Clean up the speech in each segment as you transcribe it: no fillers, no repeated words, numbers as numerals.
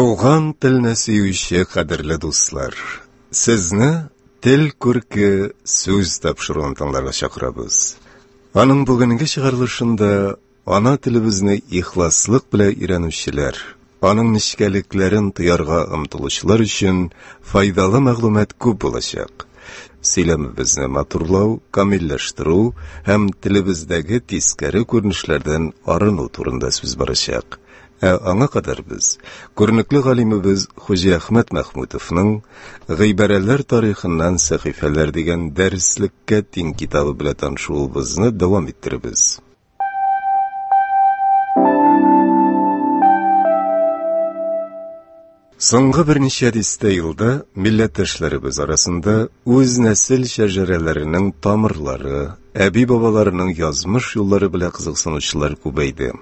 Туган телне сөюче кадерле дуслар, сезне Тел күрке сүз тапшыруын тыңларга чакырабыз. Аның бүгенге чыгарылышында ана телебезне ихласлык белән өйрәнүчеләр, аның нечкәлекләрен тоярга омтылучылар өчен файдалы мәгълүмат күп булачак. Сөйләмебезне матурлау, камилләштерү һәм телебездәге тискәре күренешләрдән арыну турында сүз барачак. Ә аңа кадәр без күренекле галимебез Хуҗиәхмәт Мәхмүтовның Гыйбарәләр тарихыннан сәхифәләр дигән дәреслеккә тиң китабы белән танышуыбызны дәвам иттеребез. Соңгы берничә дистә елда милләттәшләребез арасында үз нәсел шәҗәрәләренең тамырлары, әби-бабаларының язмыш юллары белән кызыксынучылар күбәйде.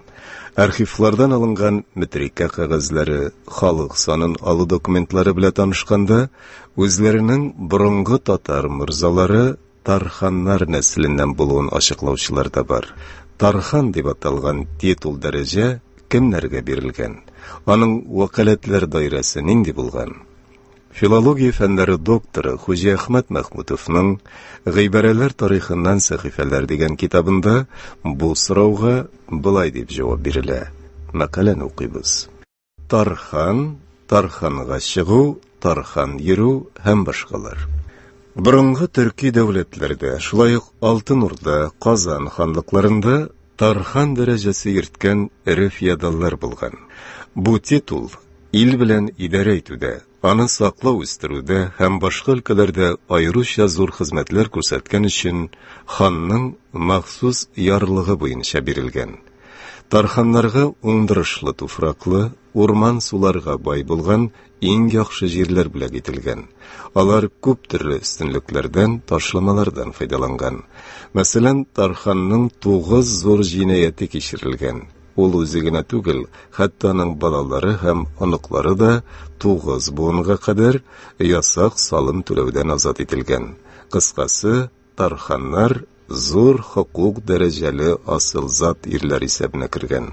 Архивлардан алынган метрикә кәгазьләре, халык санын алу документлары белән танышканда, үзләренең борынгы татар морзалары тарханнар нәселеннән булуын ачыклаучылар да бар. Тархан дип аталган титул дәрәҗә кемнәргә бирелгән? Аның вәкаләтләр даирәсе нинди булган? Филология фәннәре докторы Хуҗиәхмәт Мәхмүтовның Гыйбарәләр тарихыннан сәхифәләр дигән китабында бу сорауга болай дип җавап бирелә. Мәкаләне укыйбыз. Тархан, тарханга чыгу, тархан йөрү һәм башкалар. Борынгы төрки дәүләтләрдә, шулай ук Алтын Урда, Казан ханлыкларында тархан дәрәҗәсе йөрткән эре феодаллар булган. Бу титул ил белән идарә итүдә, аны саклау үстерүдә һәм башка өлкәләрдә аеруча зур хезмәтләр күрсәткән өчен ханның махсус ярлыгы буенча бирелгән. Тарханнарга уңдырышлы туфраклы, урман-суларга бай булган иң яхшы җирләр бүләк ителгән. Алар күп төрле өстенлекләрдән, ташламалардан файдаланган. Мәсәлән, Тарханның тугыз зур җинаяте кичерелгән. Ул үзе генә түгел, хәтта аның балалары һәм оныклары да тугыз буынга кадәр ясак салым түләүдән азат ителгән. Кыскасы, тарханнар зур хокук дәрәҗәле асыл зат ирләр исәбенә кергән.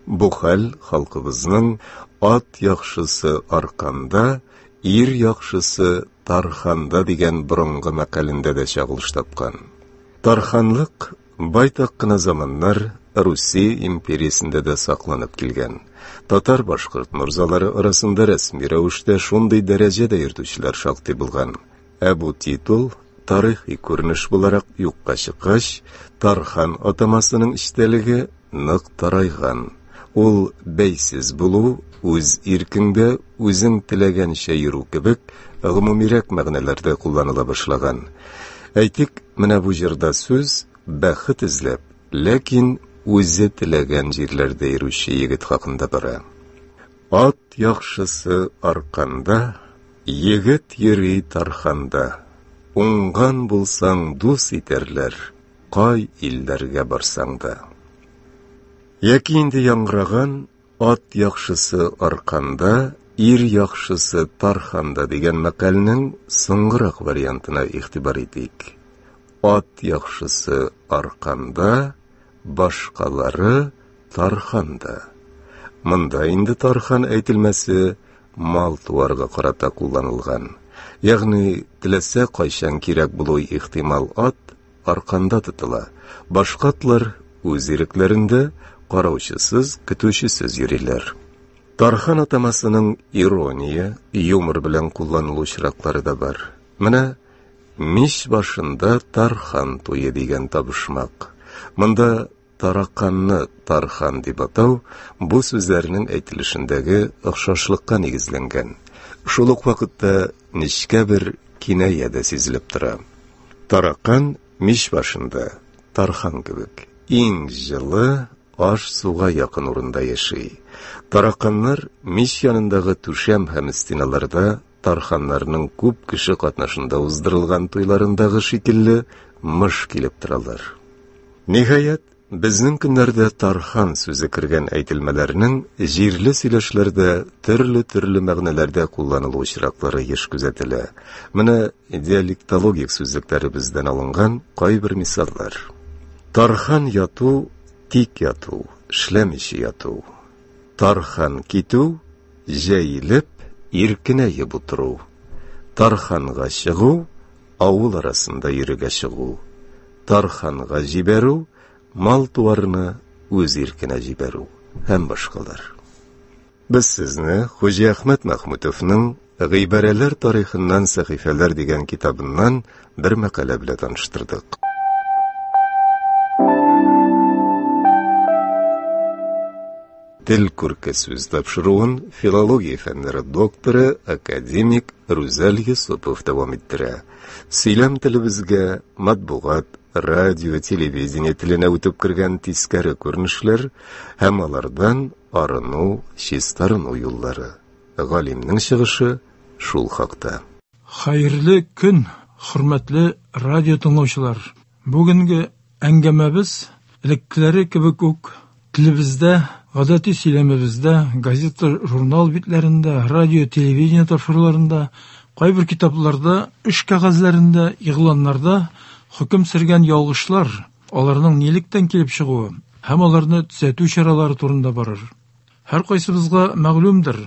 Бу хәл халкыбызның ат яхшысы арканда, ир яхшысы тарханда дигән борынгы мәкалендә дә чагылыш тапкан. Тарханлык байтак кына заманнар Русия империясендә дә сакланып килгән. Татар-башкорт морзалары арасында рәсми рәвештә шундый дәрәҗә дә йөртүчеләр шактый булган. Ә бу титул тарихи күренеш буларак юкка чыккач, Тархан атамасының эчтәлеге нык тарайган. Ул бәйсез булу, үз иркеңдә үзең теләгәнчә йөрү кебек гомумирәк мәгънәләрдә кулланыла башлаган. Әйтик, менә бу җырда сүз бәхет эзләп, ләкин үзе теләгән җирләрдә йөрүче егет хакында бара. Ат яхшысы арканда, егет йөри тарханда. Уңган булсаң, дус итәрләр, кай илләргә барсаң да. Яки инде яңгыраган ат яхшысы арканда, ир яхшысы тарханда дигән мәкальнең соңгырак вариантына игътибар итик. Ат яхшысы арканда, башкалары тарханда. Монда инде тархан әйтелмәсе мал-туарга карата кулланылган. Ягъни теләсә кайчан кирәк булуы ихтимал ат арканда тотыла. Башка атлар үз ирекләрендә, караучысыз, көтүчесез йөриләр. Тархан атамасының ирония, юмор белән кулланылу очраклары да бар. Менә мич башында тархан туе дигән табышмак. Монда тараканны тархан дип атау бу сүзләрнең әйтелешендәге охшашлыкка нигезләнгән. Шул ук вакытта нечкә бер киная дә сизелеп тора. Таракан мич башында, тархан кебек, иң җылы, аш-суга якын урында яши. Тараканнар мич янындагы түшәм һәм стеналарда тарханнарның күп кеше катнашында уздырылган туйларындагы шикелле мыш килеп торалар. Ниһаять, безнең көннәрдә тархан сүзе кергән әйтелмәләрнең җирле сөйләшләрдә төрле-төрле мәгънәләрдә кулланылу очраклары еш күзәтелә. Менә диалектологик сүзлекләребездән алынган кайбер мисаллар. Тархан яту, тик яту, эшләмичә яту. Тархан китү, Җәелеп, иркенәеп утыру. Тарханга чыгу, авыл арасында йөрергә чыгу. Тарханга җибәрү, мал-туарны үз иркенә җибәрү һәм башкалар. Без сезне Хуҗиәхмәт Мәхмүтовның Гыйбарәләр тарихыннан сәхифәләр дигән китабыннан бер мәкалә белән таныштырдык. Тел күрке сүз тапшыруын филология фәннәре докторы, академик Рүзәл Йосыпов дәвам иттерә. Сөйләм телебезгә матбугат, радио, телевидение теленә үтеп кергән тискәре күренешләр һәм алардан арыну, чистарыну юллары. Галимнең чыгышы шул хакта. Хәерле көн, хөрмәтле радио тыңлаучылар! Бүгенге әңгәмәбез элеккеләре кебек үк телебездә, гадәти сөйләмебездә, газета, журнал битләрендә, радио, телевидение тапшыруларында, кайбер китапларда, эш кәгазьләрендә, игъланнарда хөкем сөргән ялгышлар, аларның нилектән килеп чыгуы һәм аларны төзәтү чаралары турында барыр. Һәркайсыбызга мәгълүмдер,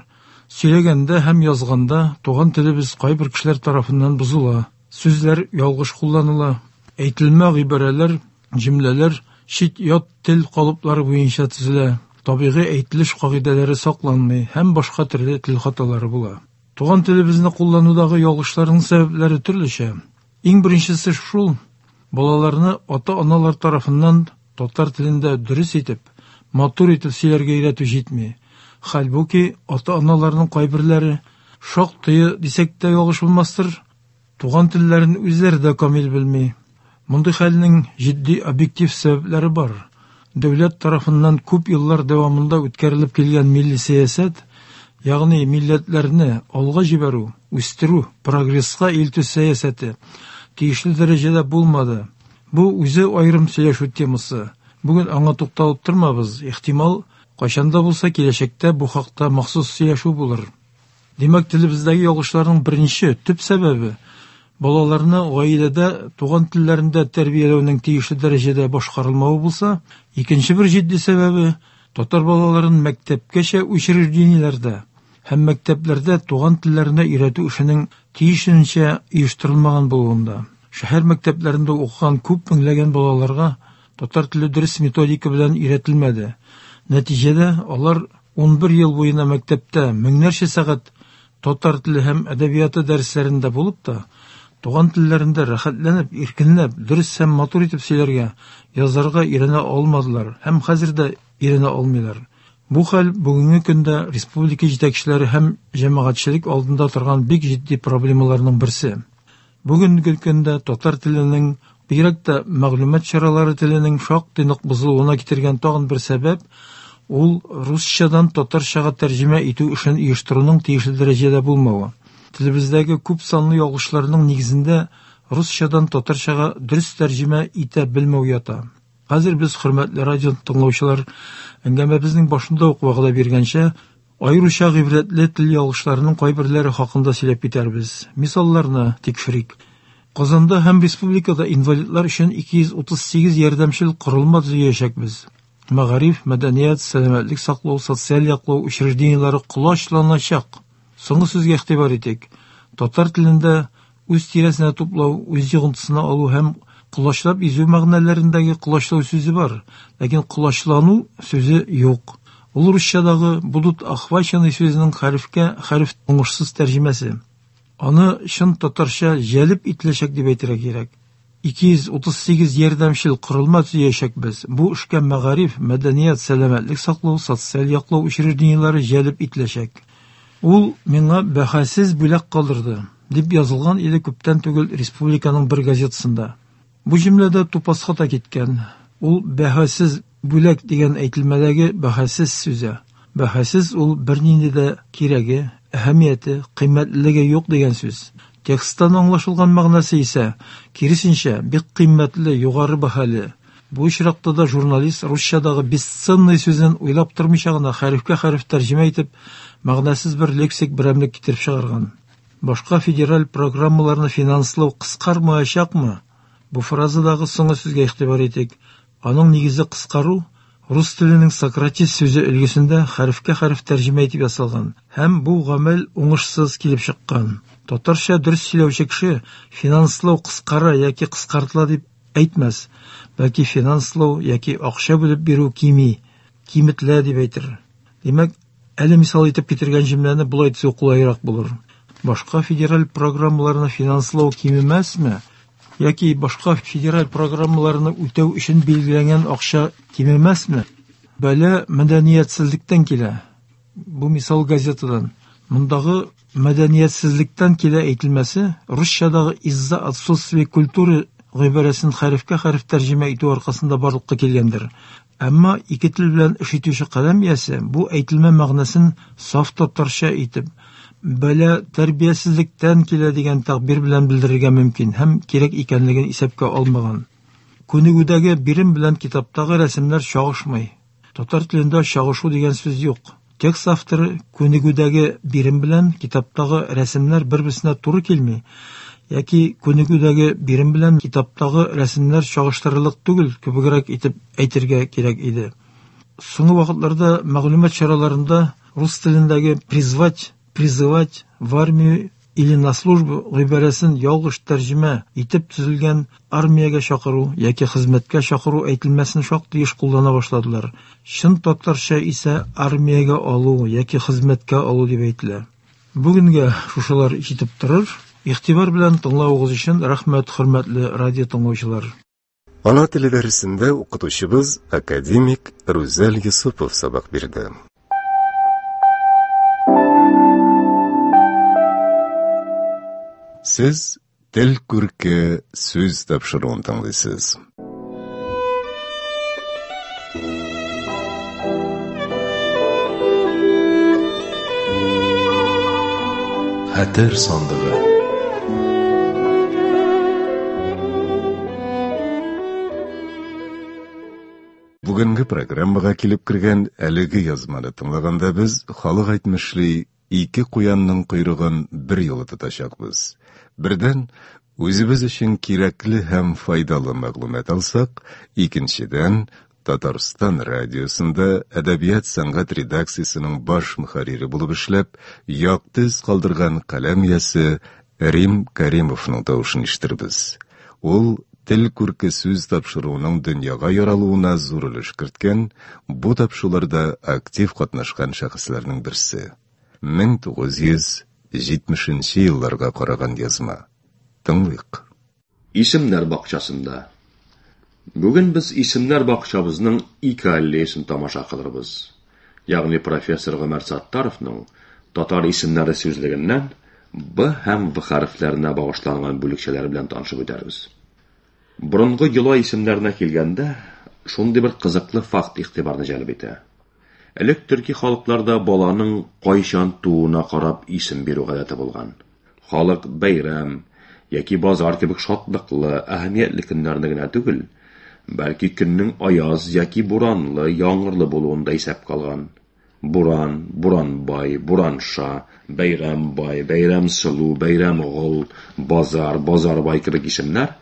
сөйләгәндә һәм язганда туган телебез кайбер кешеләр тарафыннан бозыла, сүзләр ялгыш кулланыла, әйтелмә гыйбарәләр, җөмләләр чит-ят тел калыплары буенча төзелә, табигый әйтелеш кагыйдәләре сакланмый һәм башка төрле тел хаталары була. Туган телебезне кулланудагы ялгышларның сәбәпләре төрлечә. Иң беренчесе шул, балаларны ата-аналар тарафыннан татар телендә дөрес итеп, матур итеп сөйләргә өйрәтү җитми. Хәлбуки, ата-аналарның кайберләре, шактые дисәк тә ялгыш булмастыр, туган телләрен үзләре дә камил белми. Мондый хәлнең җитди объектив сәбәпләре бар. Дәүләт тарафыннан күп еллар дәвамында үткәрелеп килгән милли сәясәт, ягъни милләтләрне алга җибәрү, үстерү, прогресска илтү сәясәте тиешле дәрәҗәдә булмады. Бу үзе аерым сөйләшү темасы. Бүген аңа тукталып тормабыз, ихтимал, кайчан да булса киләчәктә бу хакта махсус сөйләшү булыр. Димәк, телебездәге ялгышларның беренче, төп сәбәбе балаларны гаиләдә туган телләрендә тәрбияләүнең тиешле дәрәҗәдә башкарылмавы булса, икенче бер җитди сәбәбе татар балаларын мәктәпкәчә учреждениеләрдә һәм мәктәпләрдә туган телләренә өйрәтү эшенең тиешенчә оештырылмаган булуында. Шәһәр мәктәпләрендә укыган күп меңләгән балаларга татар теле дөрес методика белән өйрәтелмәде. Нәтиҗәдә алар 11 ел буена мәктәптә меңнәрчә сәгать татар теле һәм әдәбияты дәресләрендә булып та, туган телләрендә рәхәтләнеп, иркенләп, дөрес һәм матур итеп сөйләргә, язарга өйрәнә алмадылар һәм хәзер дә өйрәнә алмыйлар. Бу хәл бүгенге көндә республика җитәкчеләре һәм җәмәгатьчелек алдында торган бик җитди проблемаларның берсе. Бүгенге көндә татар теленең, бигрәк тә мәгълүмат чаралары теленең шактый нык бозылуына китергән тагын бер сәбәп ул русчадан татарчага тәрҗемә итү эшен оештыруның тиешле дәрәҗәдә булмавы. Телебездәге күп санлы ялгышларның нигезендә русчадан татарчага дөрес тәрҗемә итә белмәү ята. Хәзер без, хөрмәтле радио тыңлаучылар, әңгәмәбезнең башында ук вәгъдә биргәнчә, аеруча гыйбрәтле тел ялгышларының кайберләре хакында сөйләп китәрбез. Мисалларны тикшерик. Казанда һәм республикада инвалидлар өчен 238 ярдәмчел корылма төзиячәкбез. Мәгариф, мәдәният, сәламәтлек саклау, социаль яклау учреждениеләре колачланачак. Соңгы сүзгә игътибар итик. Татар телендә үз тирәсенә туплау, үз йогынтысына алу һәм колачлап изү мәгънәләрендәге колачлау сүзе бар, ләкин колачлану сүзе юк. Ул русчадагы будут охвачены сүзенең хәрефкә хәреф уңышсыз тәрҗемәсе. Аны чын татарча җәлеп ителәчәк дип әйтергә кирәк. 238 ярдәмчел корылма төзиячәкбез. Бу эшкә мәгариф, мәдәният, сәламәтлек саклау, социаль яклау учреждениеләре җәлеп ителәчәк. Ул миңа бәһасез бүләк калдырды, дип язылган иде күптән түгел республиканың бер газетасында. Бу җөмләдә тупас хата киткән. Ул бәһасез бүләк дигән әйтелмәдәге бәһасез сүзе. Бәһасез ул бернинди дә кирәге, әһәмияте, кыйммәтлелеге юк дигән сүз. Тексттан аңлашылган мәгънәсе исә, киресенчә, бик кыйммәтле, югары бәһале. Бу очракта да журналист русчадагы бесценный сүзен уйлап тормыйча гына хәрефкә хәреф тәрҗемә итеп, мәгънәсез бер лексик берәмлек китереп чыгарган. Башка федераль программаларны финанслау кыскармаячакмы? Бу фразадагы соңгы сүзгә игътибар итик. Аның нигезе кыскару, рус теленең сократить сүзе өлгесендә хәрефкә хәреф тәрҗемә итеп ясалган һәм бу гамәл уңышсыз килеп чыккан. Татарча дөрес сөйләүче кеше финанслау кыскара яки кыскартыла дип әйтмәс, бәлки финанслау яки акча бүлеп бирү кими, киметелә дип әйтер. Димәк, әле мисал итеп китергән җөмләне болай төзү кулайрак булыр. Башка федераль программаларны финанслау кимемәсме? Яки башка федераль программаларны үтәү өчен билгеләнгән акча кимемәсме? Бәла мәдәниятсезлектән килә. Бу мисал газетадан. Мондагы мәдәниятсезлектән килә әйтелмәсе русчадагы из-за отсутствия культуры гыйбарәсен хәрефкә хәреф тәрҗемә итү аркасында барлыкка килгәндер. Әмма ике тел белән эш итүче каләм иясе бу әйтелмә мәгънәсен саф татарча итеп, бәла тәрбиясезлектән килә дигән тәгъбир белән белдерергә мөмкин һәм кирәк икәнлеген исәпкә алмаган. Күнегүдәге бирем белән китаптагы рәсемнәр чагышмый. Татар телендә чагышу дигән сүз юк. Текст авторы күнегүдәге бирем белән китаптагы рәсемнәр бер-берсенә туры килми яки күнегүдәге бирем белән китаптагы рәсемнәр чагыштырырлык түгел кебегрәк итеп әйтергә кирәк иде. Соңгы вакытларда мәгълүмат чараларында рус телендәге призвать, призывать в армию или на службу гыйбарәсен ялгыш тәрҗемә итеп төзелгән армиягә чакыру яки хезмәткә чакыру әйтелмәсен шактый еш куллана башладылар. Чын татарча исә армиягә алу яки хезмәткә алу дип әйтелә. Бүгенгә шушылар җитеп торыр. Игътибар белән тыңлавыгыз өчен рәхмәт, хөрмәтле радио тыңлаучылар. Ана теле дәресендә укытучыбыз академик Рүзәл Йосыпов сабак бирде. Сез Тел күрке сүз тапшыруын тыңлыйсыз. Хәтер сандыгы. Бүгенге программага килеп кергән әлеге язманы тыңлаганда без халык әйтмешли ике куянның койрыгын бер юлы тотачакбыз. Бердән, үзебез өчен кирәкле һәм файдалы мәгълүмат алсак, икенчедән, Татарстан радиосында әдәбият сәнгать редакциясенең баш мөхәррире булып эшләп, якты эз калдырган каләм иясе Рим Кәримовның тавышын ишетербез. Ул Тел күрке сүз тапшыруының дөньяга яралуына зур өлеш керткән, бу тапшыруларда актив катнашкан шәхесләрнең берсе. 1970 нче елларга караган язма. Тыңлыйк. Исемнәр бакчасында. Бүген без исемнәр бакчабызның ике аллеясын тамаша кылырбыз. Ягъни профессор Гомәр Саттаровның Татар исемнәре сүзлегеннән Б һәм В хәрефләренә багышланган бүлекчәләре белән танышып үтәрбез. Борынгы йола исемнәренә килгәндә, шундый бер кызыклы факт игътибарны җәлеп итә. Элек төрки халыкларда баланың кайчан тууына карап исем бирү гадәте булган. Халык бәйрәм яки базар кебек шатлыклы, әһәмиятле көннәрне генә түгел, бәлки көннең аяз яки буранлы, яңгырлы булуын да исәпкә алган. Буран, Буранбай, Буранша, Бәйрәмбай, Бәйрәмсылу, Бәйрәмгол, Базар, Базарбай кебек исемнәр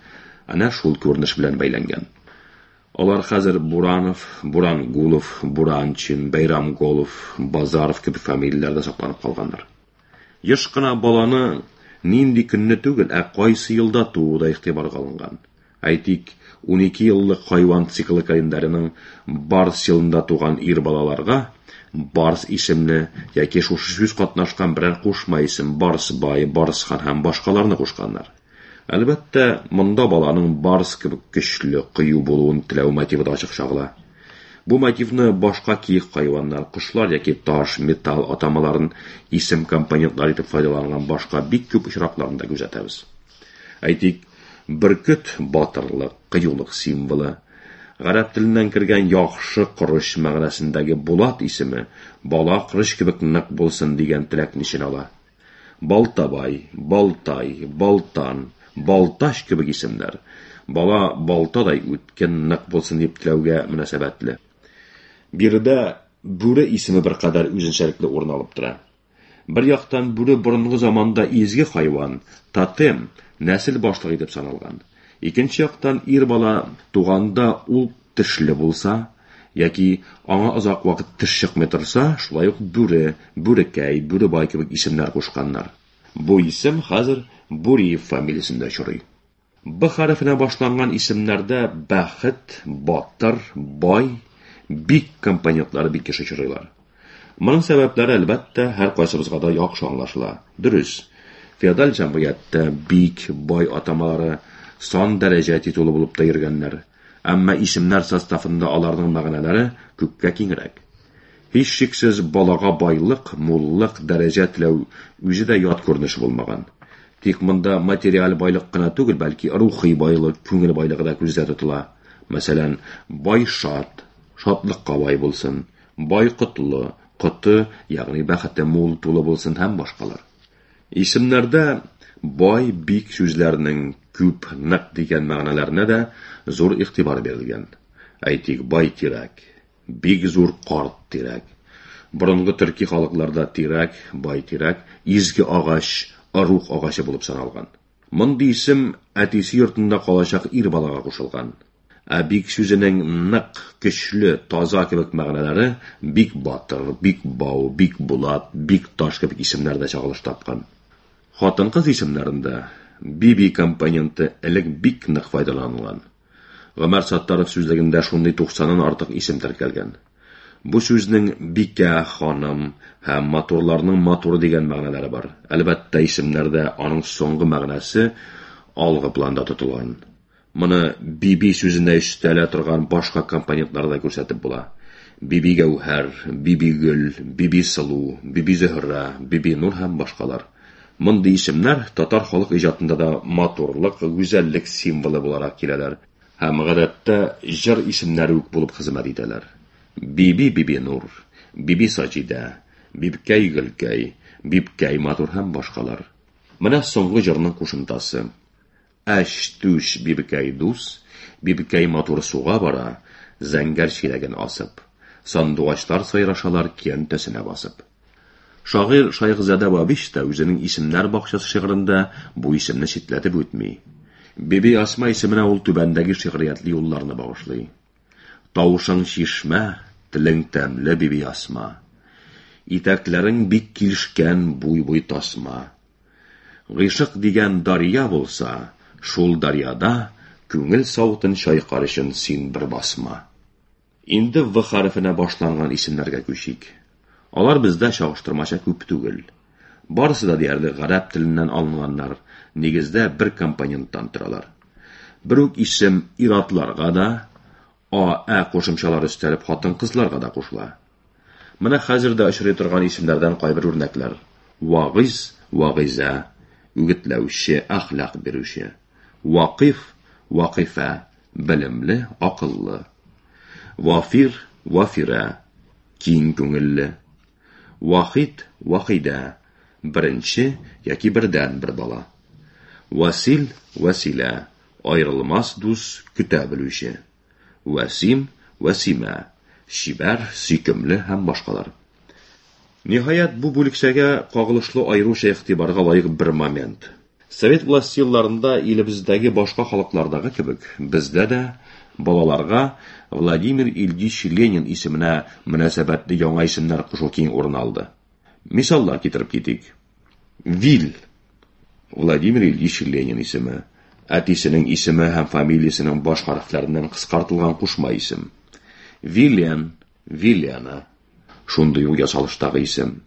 әнә шул күренеш белән бәйләнгән. Алар хәзер Буранов, Бурангулов, Буранчин, Бәйрамголов, Базаров кебек фамилияләрдә сакланып калганнар. Еш кына баланы нинди көнне түгел, ә кайсы елда тууы да игътибарга алынган. Әйтик, 12 еллык хайван циклы календареның Барс елында туган ир балаларга Барс исемле яки шушы сүз катнашкан берәр кушма исем Барсбай, Барсхан һәм башкаларны кушканнар. Әлбәттә, монда баланың барс кебек көчле, кыю булуын теләү мотивы да ачык чагыла. Бу мотивны башка киек хайваннар, кошлар яки таш, металл атамаларын исем компонентлары итеп файдаланган башка бик күп очракларында күзәтәбез. Әйтик, бөркет батырлык, кыюлык символы. Гарәп теленнән кергән яхшы корыч мәгънәсендәге Булат исеме бала корыч кебек нык булсын дигән теләкне эченә ала. Балтабай, Балтай, Балтан, Балтач кебек исемнәр бала балтадай үткен, нык булсын дип теләүгә мөнәсәбәтле. Биредә бүре исеме беркадәр үзенчәлекле урын алып тора. Бер яктан бүре борынгы заманда изге хайван, тотем, нәсел башлыгы итеп саналган. Икенче яктан ир бала туганда ул тешле булса, Яки аңа озак вакыт теш чыкмый торса, шулай ук Бүре, Бүрекәй, Бүребай кебек исемнәр кушканнар. Бу исем хәзер Буриев фамилиясендә очрый. Б хәрефенә башланган исемнәрдә бәхет, батыр, бай, бик компонентлары бик еш очрыйлар. Моның сәбәпләре, әлбәттә, һәркайсыбызга да яхшы аңлашыла. Дөрес, феодаль җәмгыятьтә бик, бай атамалары сан дәрәҗә титулы булып та йөргәннәр. Әмма исемнәр составында аларның мәгънәләре күпкә киңрәк. Һичшиксез, балага байлык, муллык, дәрәҗә теләү үзе дә ят күренеш булмаган. Тик монда материаль байлык кына түгел, бәлки рухи байлык, күңел байлыгы да күздә тотыла. Мәсәлән, бай шат, шатлыкка бай булсын, бай котлы, коты, ягъни бәхете мул, тулы булсын һәм башкалар. Исемнәрдә бай, бик сүзләренең күп, нык дигән мәгънәләренә дә зур игътибар бирелгән. Әйтик, бай тирәк, бик зур карт тирәк. Борынгы төрки халыкларда тирәк, бай тирәк, изге агач, ыруг агачы булып саналган. Мондый исем әтисе йортында калачак ир балага кушылган. Ә бик сүзенең нык, көчле, таза кебек мәгънәләре бик батыр, бик бау, бик булат, бик таш кебек исемнәрдә чагылыш тапкан. Хатын-кыз исемнәрендә биби компоненты элек бик нык файдаланылган. Гомәр Саттаров сүзлегендә шундый туксаннан артык исем теркәлгән. Бу сүзнең бикә, ханым һәм матурларның матуры дигән мәгънәләре бар. Әлбәттә, исемнәрдә аның соңгы мәгънәсе алгы планда тотылган. Моны биби сүзенә өстәлә торган башка компонентларда да күрсәтеп була. Биби Гәүһәр, Биби Гөл, Биби Сылу, Биби Зөһрә, Биби Нур һәм башкалар. Мондый исемнәр татар халык иҗатында да матурлык, гүзәллек символы буларак киләләр һәм гадәттә җыр исемнәре үк булып хезмәт итәләр. Биби Бибинур, Биби Саҗидә, Бибкәй Гөлкәй, Бибкәй Матур һәм башкалар. Менә соңгы җырның кушымтасы. Әч түш Бибкәй дус, Бибкәй матур суга бара, зәңгәр чиләген асып. Сандугачлар сайрашалар көянтәсенә басып. Шагыйрь Шайхзадә Бабич та үзенең Исемнәр бакчасы шигырендә бу исемне читләтеп үтми. Биби Асма исеменә ул түбәндәге шигъриятле юлларны багышлый. Тавышың чишмә, телең тәмле, Биби Асма. Итәкләрең бик килешкән, буй-буй тасма. Гыйшык дигән дарья булса, шул дарьяда күңел савытын чайкар өчен син бер басма. Инде В хәрефенә башланган исемнәргә күчик. Алар бездә чагыштырмача күп түгел. Барысы да диярлек гарәп теленнән алынганнар, нигездә бер компоненттан торалар. Бер үк исем ир-атларга да, а, ә кушымчалары өстәлеп хатын-кызларга да кушыла. Менә хәзер дә очрый торган исемнәрдән кайбер үрнәкләр. Вагыйз, Вагыйзә, үгетләүче, әхлак бирүче. Вакыйф, Вакыйфә, белемле, акыллы. Вафир, Вафирә, киң күңелле. Вахит, Вахидә, беренче яки бердәнбер бала. Васил, Вәсилә, аерылмас дус, көтә белүче. Вәсим, Вәсимә, чибәр, сөйкемле һәм башкалар. Ниһаять, бу бүлекчәгә кагылышлы аеруча игътибарга лаек бер момент. Совет власте елларында илебездәге башка халыклардагы кебек, бездә дә балаларга Владимир Ильич Ленин исеменә мөнәсәбәтле яңа исемнәр кушу киң урын алды. Мисаллар китереп китик. Вил, Владимир Ильич Ленин исеме, әтисенең исеме һәм фамилиясенең баш хәрефләреннән кыскартылган кушма исем. Вилен, Вилена, шундый ук ясалыштагы исем.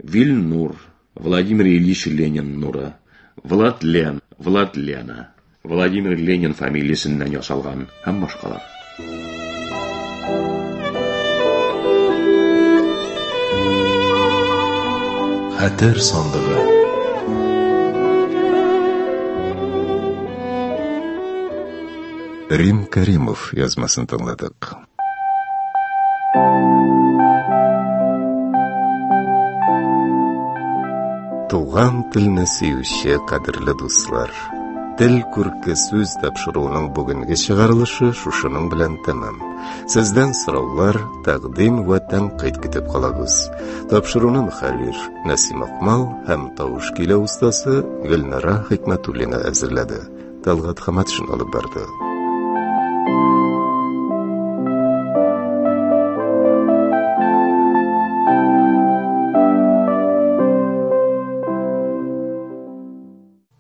Вилнур, Владимир Ильич Ленин нуры. Владлен, Владлена, Владимир Ленин фамилиясеннән ясалган һәм башкалар. Хәтер сандыгы. Рим Каримов язмасын тыңладык. Туган телне сөюче кадерле дуслар, Тел күрке сүз тапшыруының бүгенге чыгарылышы шушының белән тәмам. Сездән сораулар, тәкъдим вә тәнкыйть көтеп калабыз. Тапшыруны мөхәррир Нәсим Акмал һәм тавыш көйләү остасы Гөлнара Хикмәтуллина әзерләде. Талгат Хаматшин алып барды.